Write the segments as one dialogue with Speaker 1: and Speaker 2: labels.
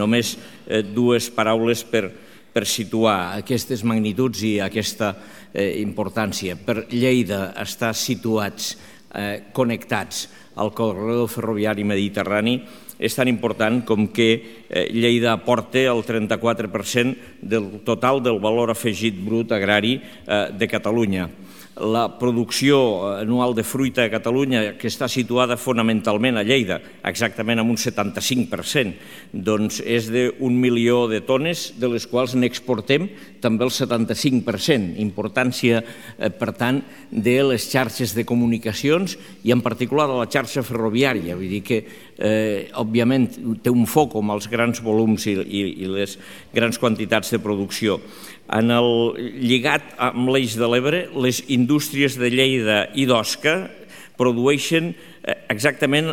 Speaker 1: Només dues paraules per situar aquestes magnituds i aquesta importància. Per Lleida estar situats, connectats al corredor ferroviari mediterrani és tan important com que Lleida aporta el 34% del total del valor afegit brut agrari de Catalunya. La producció anual de fruita a Catalunya, que està situada fonamentalment a Lleida, exactament amb un 75%, doncs és d'1 milió de tones, de les quals n'exportem també el 75%. Importància, per tant, de les xarxes de comunicacions i en particular de la xarxa ferroviària. Vull dir que, òbviament, té un foc amb els grans volums i les grans quantitats de producció. Lligat amb l'Eix de l'Ebre, les indústries de Lleida i d'Osca produeixen exactament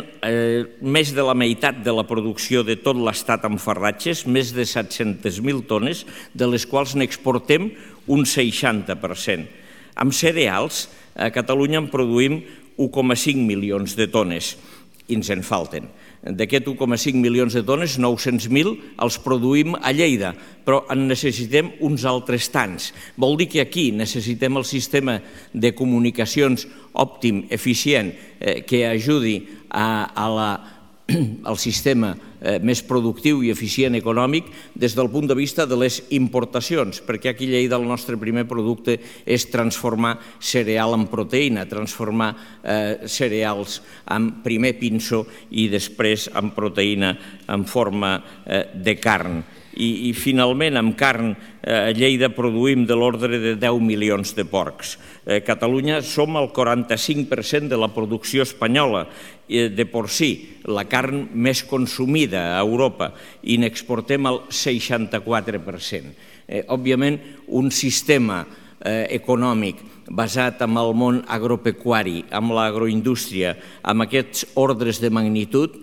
Speaker 1: més de la meitat de la producció de tot l'estat en farratges, més de 700.000 tones, de les quals n'exportem un 60%. Amb cereals, a Catalunya en produïm 1,5 milions de tones i ens en falten. D'aquest 1,5 milions de tones, 900.000 els produïm a Lleida, però en necessitem uns altres tants. Vol dir que aquí necessitem el sistema de comunicacions òptim, eficient, que ajudi al sistema més productiu i eficient econòmic des del punt de vista de les importacions, perquè aquí a Lleida el nostre primer producte és transformar cereal en proteïna, transformar cereals en primer pinso i després en proteïna en forma de carn. I finalment, amb carn, a Lleida produïm de l'ordre de 10 milions de porcs. A Catalunya som el 45% de la producció espanyola de porcí, la carn més consumida a Europa, i n'exportem el 64%. Òbviament, un sistema econòmic basat en el món agropecuari, amb l'agroindústria, amb aquests ordres de magnitud,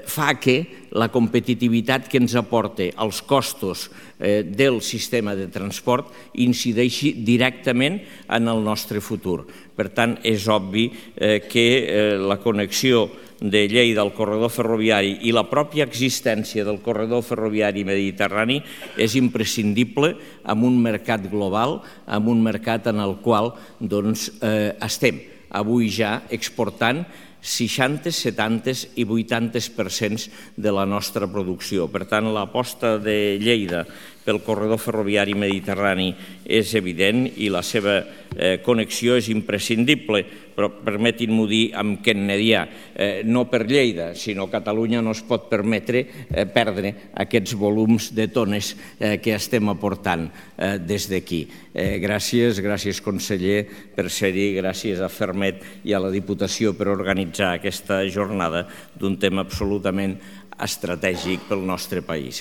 Speaker 1: fa que la competitivitat que ens aporta els costos del sistema de transport incideixi directament en el nostre futur. Per tant, és obvi que la connexió de Lleida al corredor ferroviari i la pròpia existència del corredor ferroviari mediterrani és imprescindible en un mercat global, en un mercat en el qual estem avui ja exportant 60, 70 i 80% de la nostra producció. Per tant, l'aposta de Lleida pel corredor ferroviari mediterrani és evident i la seva connexió és imprescindible, però permetin-m'ho dir amb kennedià, no per Lleida, sinó Catalunya no es pot permetre perdre aquests volums de tones que estem aportant des d'aquí. Gràcies conseller per ser-hi, gràcies a Fermet i a la Diputació per organitzar aquesta jornada d'un tema absolutament estratègic pel nostre país.